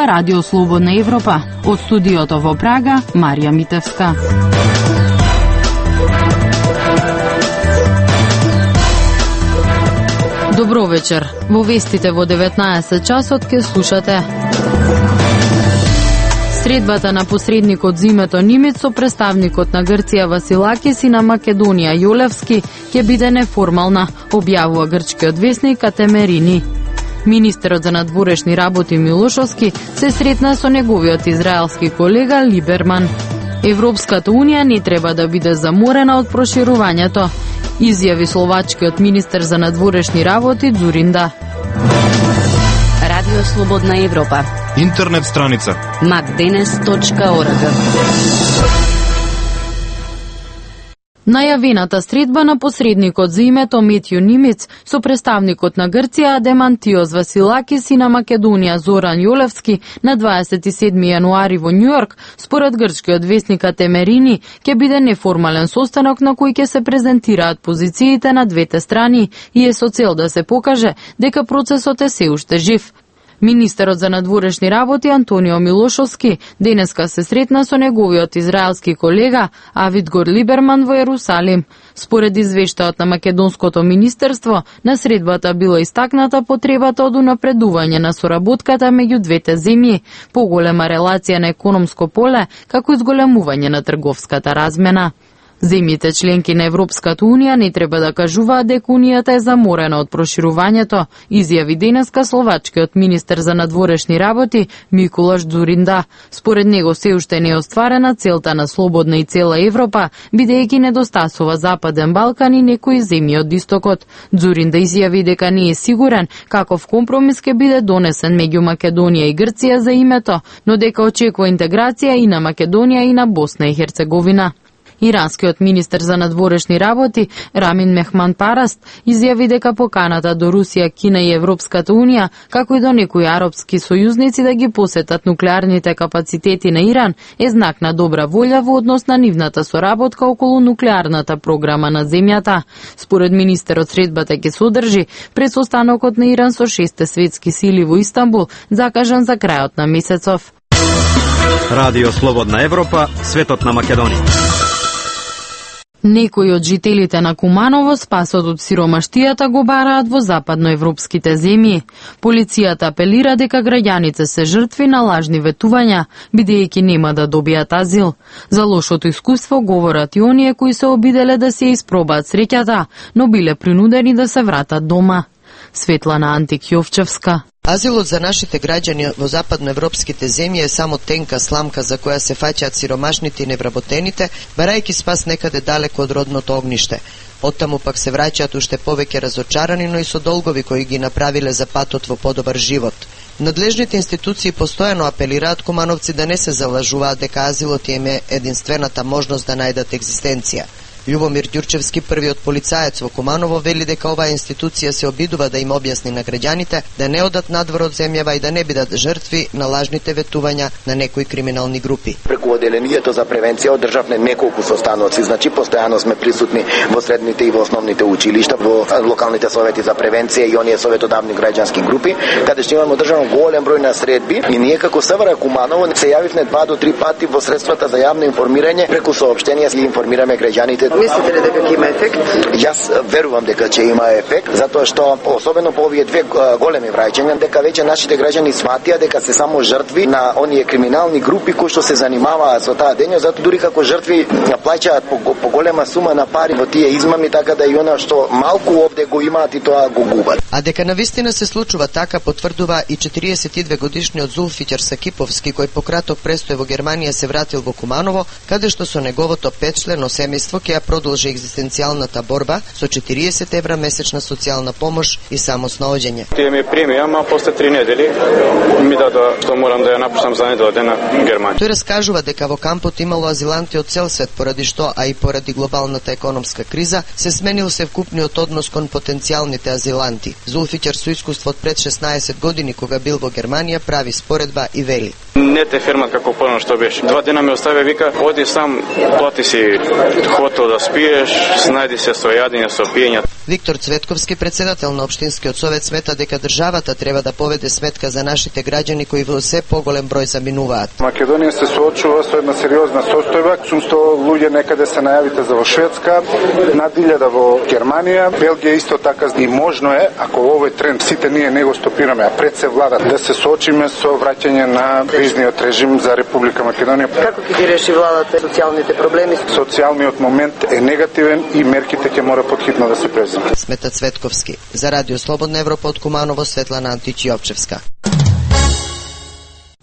Ова е Радио Слободна Европа. Од студиото во Прага, Марија Митевска. Добро вечер. Во вестите во 19 часот ке слушате. Средбата на посредникот Зимето Нимиц со представникот на Грција Василакис и на Македонија Јолевски ќе биде неформална, објавува грчкиот весник Атемерини. Министерот за надворешни работи Милошовски се сретна со неговиот израелски колега Либерман. Европската унија не треба да биде заморена од проширувањето, изјави словачкиот министер за надворешни работи Дзуринда. Радио Слободна Европа. Интернет страница macdenes.org. Најавената средба на посредникот за името Метју Нимиц со представникот на Грција Адемантиос Василакис и на Македонија Зоран Јолевски на 27 јануари во Њујорк, според грчкиот весник Атемерини, ќе биде неформален состанок на кој ќе се презентираат позициите на двете страни и е со цел да се покаже дека процесот е се уште жив. Министерот за надворешни работи Антонио Милошовски денеска се сретна со неговиот израелски колега Авигдор Либерман во Јерусалим. Според извештајот на Македонското министерство, на средбата била истакната потребата од унапредување на соработката меѓу двете земји, поголема релација на економско поле, како и зголемување на трговската размена. Земјите членки на Европската унија не треба да кажуваат дека унијата е заморена од проширувањето, изјави денеска словачкиот министер за надворешни работи Миколаш Дзуринда. Според него се уште не е остварена целта на слободна и цела Европа, бидејќи недостасува Западен Балкан и некои земји од истокот. Дзуринда изјави дека не е сигурен каков компромис ќе биде донесен меѓу Македонија и Грција за името, но дека очекува интеграција и на Македонија и на Босна и Херцеговина. Иранскиот министер за надворешни работи Рамин Мехман Параст изјави дека поканата до Русија, Кина и Европската унија, како и до некои арапски сојузници да ги посетат нуклеарните капацитети на Иран е знак на добра волја во однос на нивната соработка околу нуклеарната програма на земјата. Според министерот, средбата ќе содржи пред состанокот на Иран со 6 светски сили во Истанбул, закажан за крајот на месецов. Радио Слободна Европа, светот на Македонија. Некои од жителите на Куманово спасот од сиромаштијата го бараат во западноевропските земји. Полицијата апелира дека граѓаните се жртви на лажни ветувања, бидејќи нема да добијат азил. За лошото искуство говорат и оние кои се обиделе да се испробаат среќата, но биле принудени да се вратат дома. Светлана Антик Јовчевска. Азилот за нашите граѓани во западноевропските земји е само тенка сламка за која се фаќаат сиромашните и невработените, барајќи спас некаде далеко од родното огниште. Оттаму пак се враќаат уште повеќе разочарани, но и со долгови кои ги направиле за патот во подобар живот. Надлежните институции постојано апелираат кумановци да не се залажуваат дека азилот им е единствената можност да најдат екзистенција. Љубомир Ѓурчевски, првиот полицаец во Куманово, вели дека оваа институција се обидува да им објасни на граѓаните да не одат надвор од земјава и да не бидат жртви на лажните ветувања на некои криминални групи. Преку оделението за превенција одржавме неколку состаноци, значи постојано сме присутни во средните и во основните училишта, во локалните совети за превенција и оние советодавни граѓански групи, каде што имаме одржано голем број на средби и ние како СВР Куманово се јавивме 2 до 3 пати во средствата за јавно информирање, преку соопштенија и информираме граѓаните. Мислите ли дека ќе има ефект? Јас верувам дека ќе има ефект, затоа што особено по овие две големи враќања, дека веќе нашите граѓани сватија дека се само жртви на оние криминални групи кои што се занимаваат со таа дејност, затоа дури како жртви плаќаат по голема сума на пари во тие измами, така да и она што малку овде го имаат и тоа го губат. А дека навистина се случува така потврдува и 42 годишниот Зулфиќар Сакиповски, кој по краток престој во Германија се вратил во Куманово, каде што со неговото 5-члено семејство ќе продолжи екзистенцијалната борба со 40 евра месечна социјална помош и самоснаоѓање. Тие ми прими, ама после 3 недели ми дадоа што морам да ја напуштам за недела дена Германија. Тој раскажува дека во кампот имало азиланти од цел свет, поради што, а и поради глобалната економска криза, се сменил севкупниот однос кон потенцијалните азиланти. Зулфиќар со искуство од пред 16 години, кога бил во Германија, прави споредба и вели: Не те фермат како порано што беше. 2 дена ме остави, вика, оди сам, плати си хотел да спиеш, снајди се со јадење, со пиење. Виктор Цветковски, председател на Општинскиот совет, смета дека државата треба да поведе сметка за нашите граѓани кои во се поголем број заминуваат. Македонија се соочува со една сериозна состојба. 800 луѓе некаде се најавите за во Шведска, над 1000 во Германија, Белгија исто така, и можно е, ако овој тренд сите ние не го стопираме, а пред се влада, да се соочиме со враќање на визниот режим за Република Македонија. Како ќе ги реши владата социјалните проблеми? Социјалниот момент е негативен и мерките ќе мора потхитно да се преземат. Смета Цветковски. За Радио Слободна Европа од Куманово, Светлана Античиовчевска.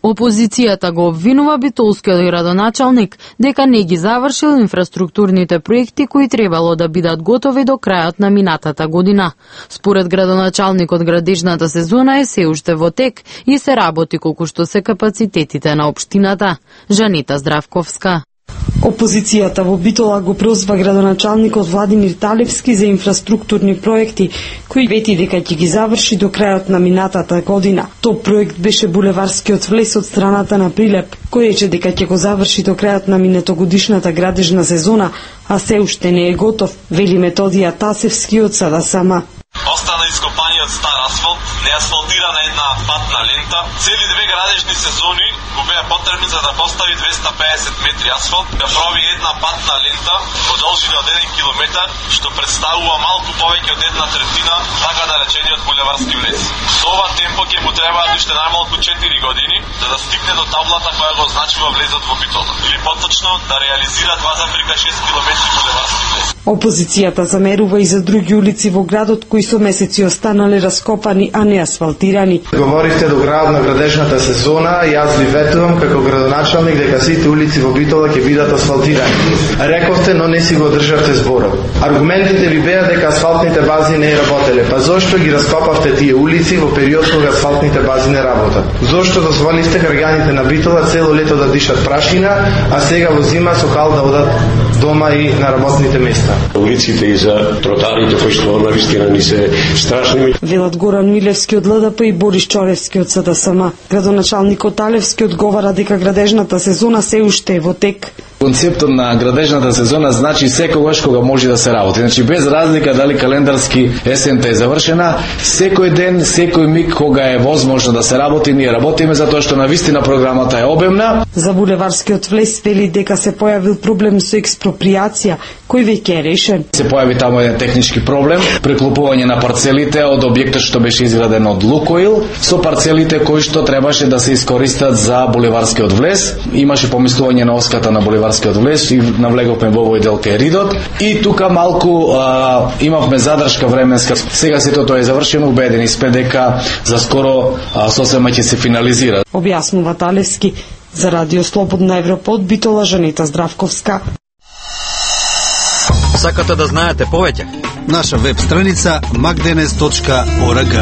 Опозицијата го обвинува битолскиот градоначалник дека не ги завршил инфраструктурните проекти кои требало да бидат готови до крајот на минатата година. Според градоначалникот, градежната сезона е се уште во тек и се работи колку што се капацитетите на општината. Жанита Здравковска. Опозицијата во Битола го прозва градоначалникот Владимир Талевски за инфраструктурни проекти, кои вети дека ќе ги заврши до крајот на минатата година. Тој проект беше булеварскиот влез од страната на Прилеп, кој рече дека ќе го заврши до крајот на минатогодишната градежна сезона, а се уште не е готов, вели Методија Тасевски од СДСМ. Остана ископаниот стар асфалт, неасфалтирана една патна лента. Цели 2 градежни сезони го беа потребни за да постави 250 метри асфалт, да прави една патна лента во должина од 1 километар, што представува малку повеќе од 1/3 така наречениот булеварски влез. Со ова темпо ќе му требаат уште најмалку 4 години за да стигне до таблата која го означува влезот во Битола, или поточно да реализира 2,6 километри булеварски влез. Опозицијата замерува и за други улици во градот кои со месеци останале раскопани, а не асфалтирани. Говорихте до крајот на градежната сезона, јас ви ветувам како градоначалник дека сите улици во Битола ќе бидат асфалтирани. Рековте, но не си го државте зборот. Аргументите ви беа дека асфалтните бази не работеле. Па зошто ги раскопавте тие улици во период кога асфалтните бази не работат? Зошто дозволивте граѓаните на Битола цело лето да дишат прашина, а сега во зима со кал да одат дома и на работните места? Улиците и за тротарите кои што навистина ни се страшни. Велат Горан Милевски од ЛДП и Борис Чоревски од СДСМ. Градоначалникот Талевски одговара дека градежната сезона се уште е во тек. Концептот на градежната сезона значи секогаш кога може да се работи. Значи без разлика дали календарски есента е завршена, секој ден, секој миг кога е возможно да се работи, ние работиме затоа што навистина програмата е обемна. За булеварскиот влез вели дека се појавил проблем со експроприација, кој веќе е решен. Се појави таму еден технички проблем, преклопување на парцелите од објектот што беше изграден од Лукоил со парцелите кои што требаше да се искористат за булеварскиот влез. Имаше помислување на оската на булеварскиот влез и навлеговме во овој дел кај Ридот. И тука малку имавме задршка временска. Сега сето тоа е завршено, убедени сме дека за скоро сосема ќе се финализира. Објаснува Талевски. За Радио Слободна Европа од Битола, Жанита Здравковска. Сакате да знаете повеќе? Наша веб страница magdenes.org.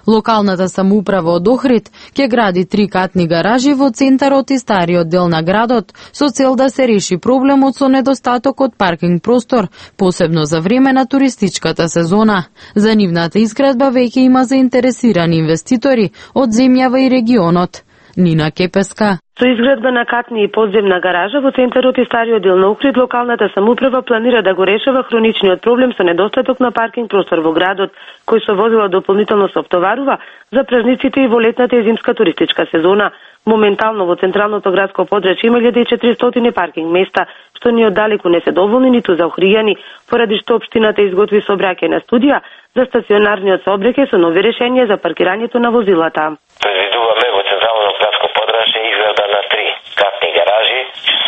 Локалната самоуправа од Охрид ќе гради 3 катни гаражи во центарот и стариот дел на градот со цел да се реши проблемот со недостатокот паркинг простор, посебно за време на туристичката сезона. За нивната изградба веќе има заинтересирани инвеститори од земјава и регионот. Нина Кепеска. Со изградба на катни и подземна гаража во центарот и стариот дел на Охрид, локалната самоуправа планира да го решава хроничниот проблем со недостаток на паркинг простор во градот, кој со возила дополнително се оптоварува за празниците и во летната и зимска туристичка сезона. Моментално во централното градско подрачје има 1400 паркинг места, што ни оддалеку не се доволни ниту за охријани, поради што општината изготви сообраќајна студија за стационарниот сообраќај со нови решенија за паркирањето на возилата. Предвидуваме во централното градско подрачје изграда на 3 катни гаражи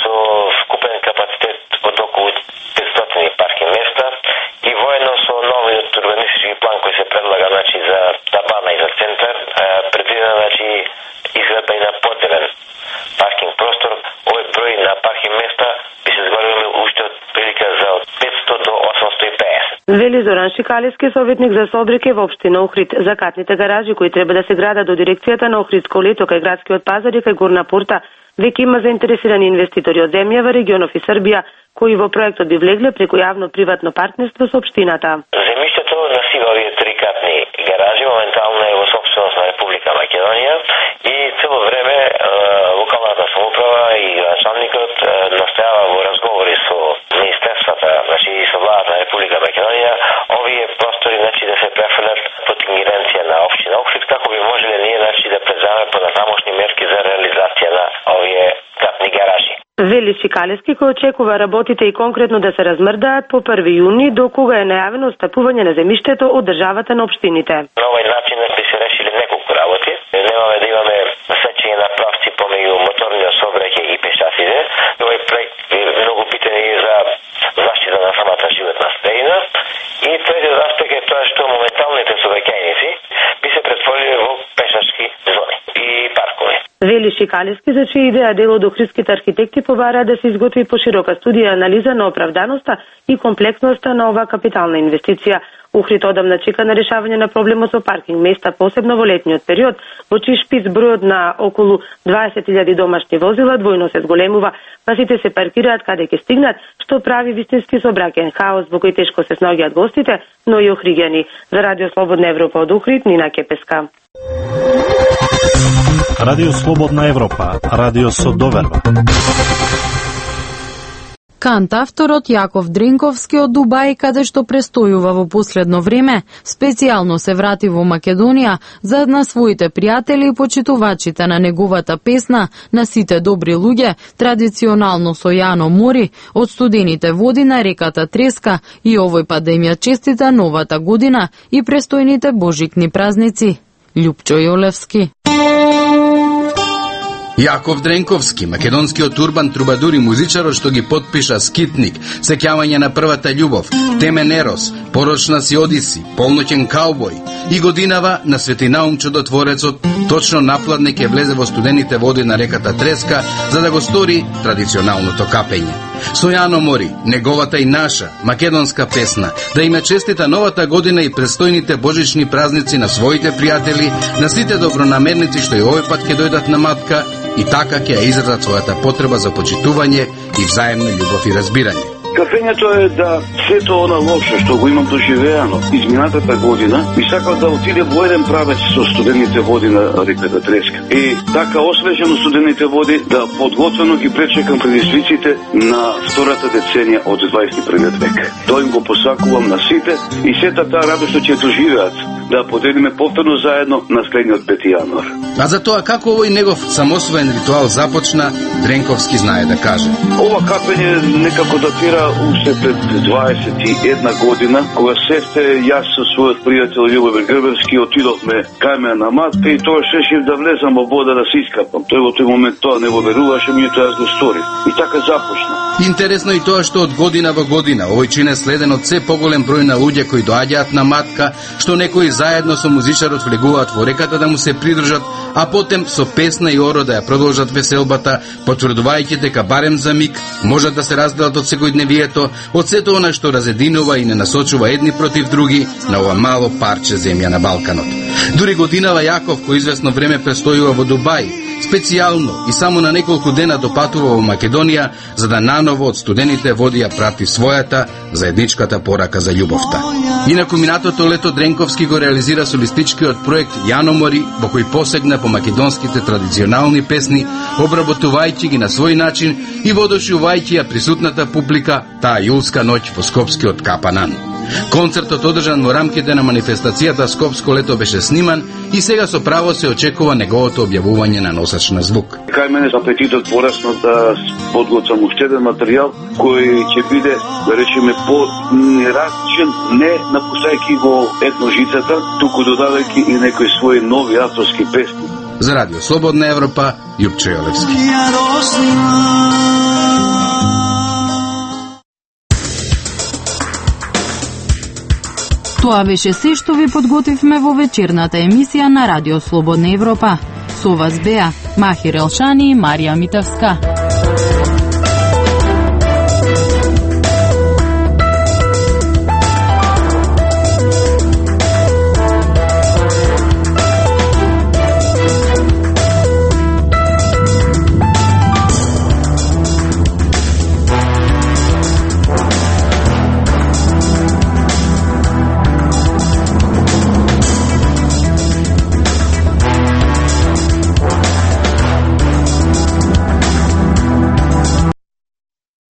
со вкупен капацитет од околу 500 паркинг места и воедно со новиот урбанистички план кој се предлага за Табана и за центар, предвидена изградба и на поделен паркинг простор. Овој број на паркинг места би се зголемил уште од прилика за 500 до 850. Вели Зоран Шикалевски, советник за сообраќај во општина Охрид. За катните гаражи кои треба да се градат до дирекцијата на Охридско лето кај градскиот пазар и кај Горна порта, веќе има заинтересирани инвеститори од земјава, регионов и Србија, кои во проектот би влегле преку јавно-приватно партнерство со општината. Земјиштето на сива овие 3 катни гаражи моментално е во собственост на Република Македонија и цело време локалната самоуправа и градоначалникот настојава во разговори со министерствата, значи и со владата на Република Македонија, овие простори да се префрлат под ингеренција на општина Охрид, како би можеле ние да преземеме понатамошни мерки за реализација на овие катни гаражи. Вели Шикалевски, кој очекува работите и конкретно да се размрдаат по 1 јуни, до кога е најавено отстапување на земјиштето од државата на општините. На овој начин би се решили неколку работи. Немаме да имаме сечење на правци помеѓу моторниот сообраќај и пешаците. Овој проект е многу битен и за заштита на самата животна средина. И третиот аспект е тоа што моменталните сообраќајници би се претворили во пешачки зони и паркови. Вели Шикалевски, за чија идеја дел од охридските архитекти побара да се изготви поширока студија и анализа на оправданоста и комплексноста на оваа капитална инвестиција. Охрид одамна чека на решавање на проблемот со паркинг места, посебно во летниот период, во чиј шпиц бројот на околу 20.000 домашни возила двојно се зголемува, па сите се паркираат каде ќе стигнат, што прави вистински сообраќајен хаос во кој тешко се снаоѓаат гостите, но и охриѓани. За Радио Слободна Европа од Охрид, Нина Кепеска. Радио Слободна Европа, радио со доверба. Кантавторот Јаков Дренковски од Дубај, каде што престојува во последно време, специјално се врати во Македонија за на своите пријатели и почитувачите на неговата песна "На сите добри луѓе", традиционално со Јано Мори, од студените води на реката Треска, и овој пат да им ја честита новата година и престојните божикни празници. Љупчо Јолевски. Јаков Дренковски, македонскиот урбан трубадур и музичарот што ги потпиша Скитник, Сеќавање на првата љубов, Темен Ерос, Порочна си Одиси, Полноќен каубој и годинава на Свети Наум Чудотворецот, точно напладне ќе влезе во студените води на реката Треска за да го стори традиционалното капење. Со Јано Мори, неговата и наша македонска песна, да им честита новата година и престојните божични празници на своите пријатели, на сите добронамерници што и овој пат ќе дојдат на матка и така ќе ја изразат својата потреба за почитување и взаемна љубов и разбирање. Кафењето е да сето она лошо што го имам доживеано изминатата година, ми сакам да отиде во еден правец со студените води на реката Треска. И така освежено студените води да подготвено ги пречекам предизвиците на втората деценија од 21 век. Тоа им го посакувам на сите и сета таа радост што ќе доживеат да поделиме повторно заедно на следниот 5 јануар. А за тоа како овој негов самосвоен ритуал започна, Дренковски знае да каже. Ова капење некако датира уште пред 21 година, кога сесте јас со својот пријател Љубомир Грбевски отидовме кај мене на матка и тоа решив да влезам во вода да се искапам. Тој во тој момент тоа не го веруваше, меѓутоа јас го сторив. И така започна. Интересно и тоа што од година во година овој чин е следен од се поголем број на луѓе кои доаѓаат на матка, што некои заедно со музичарот влегуваат во реката да му се придржат, а потем со песна и оро да ја продолжат веселбата, потврдувајќи дека барем за миг можат да се разделат од секојдневието, од сето она што разединува и не насочува едни против други на ова мало парче земја на Балканот. Дури годинава Јаков, кој известно време престојува во Дубај, специјално и само на неколку дена допатува во Македонија за да наново од студените води ја прати својата заедничката порака за љубовта. Инаку минатото лето Дренковски го реализира солистичкиот проект Јано Мори, во кој посегна по македонските традиционални песни, обработувајќи ги на свој начин и водушувајќи ја присутната публика таа јулска ноќ во скопскиот Капанан. Концертот одржан во рамките на манифестацијата Скопско лето беше сниман и сега со право се очекува неговото објавување на носач на звук. Кај мене апетитот порасна да подготвам уште еден материјал кој ќе биде, да речеме, по-неразличен, не напуштајќи го етножицата, туку додавајќи и некои своји нови авторски песни. За Радио Слободна Европа, Љупчо Јолевски. Тоа беше се што ви подготвивме во вечерната емисија на Радио Слободна Европа. Со вас беа Махир Елшани и Марија Митевска.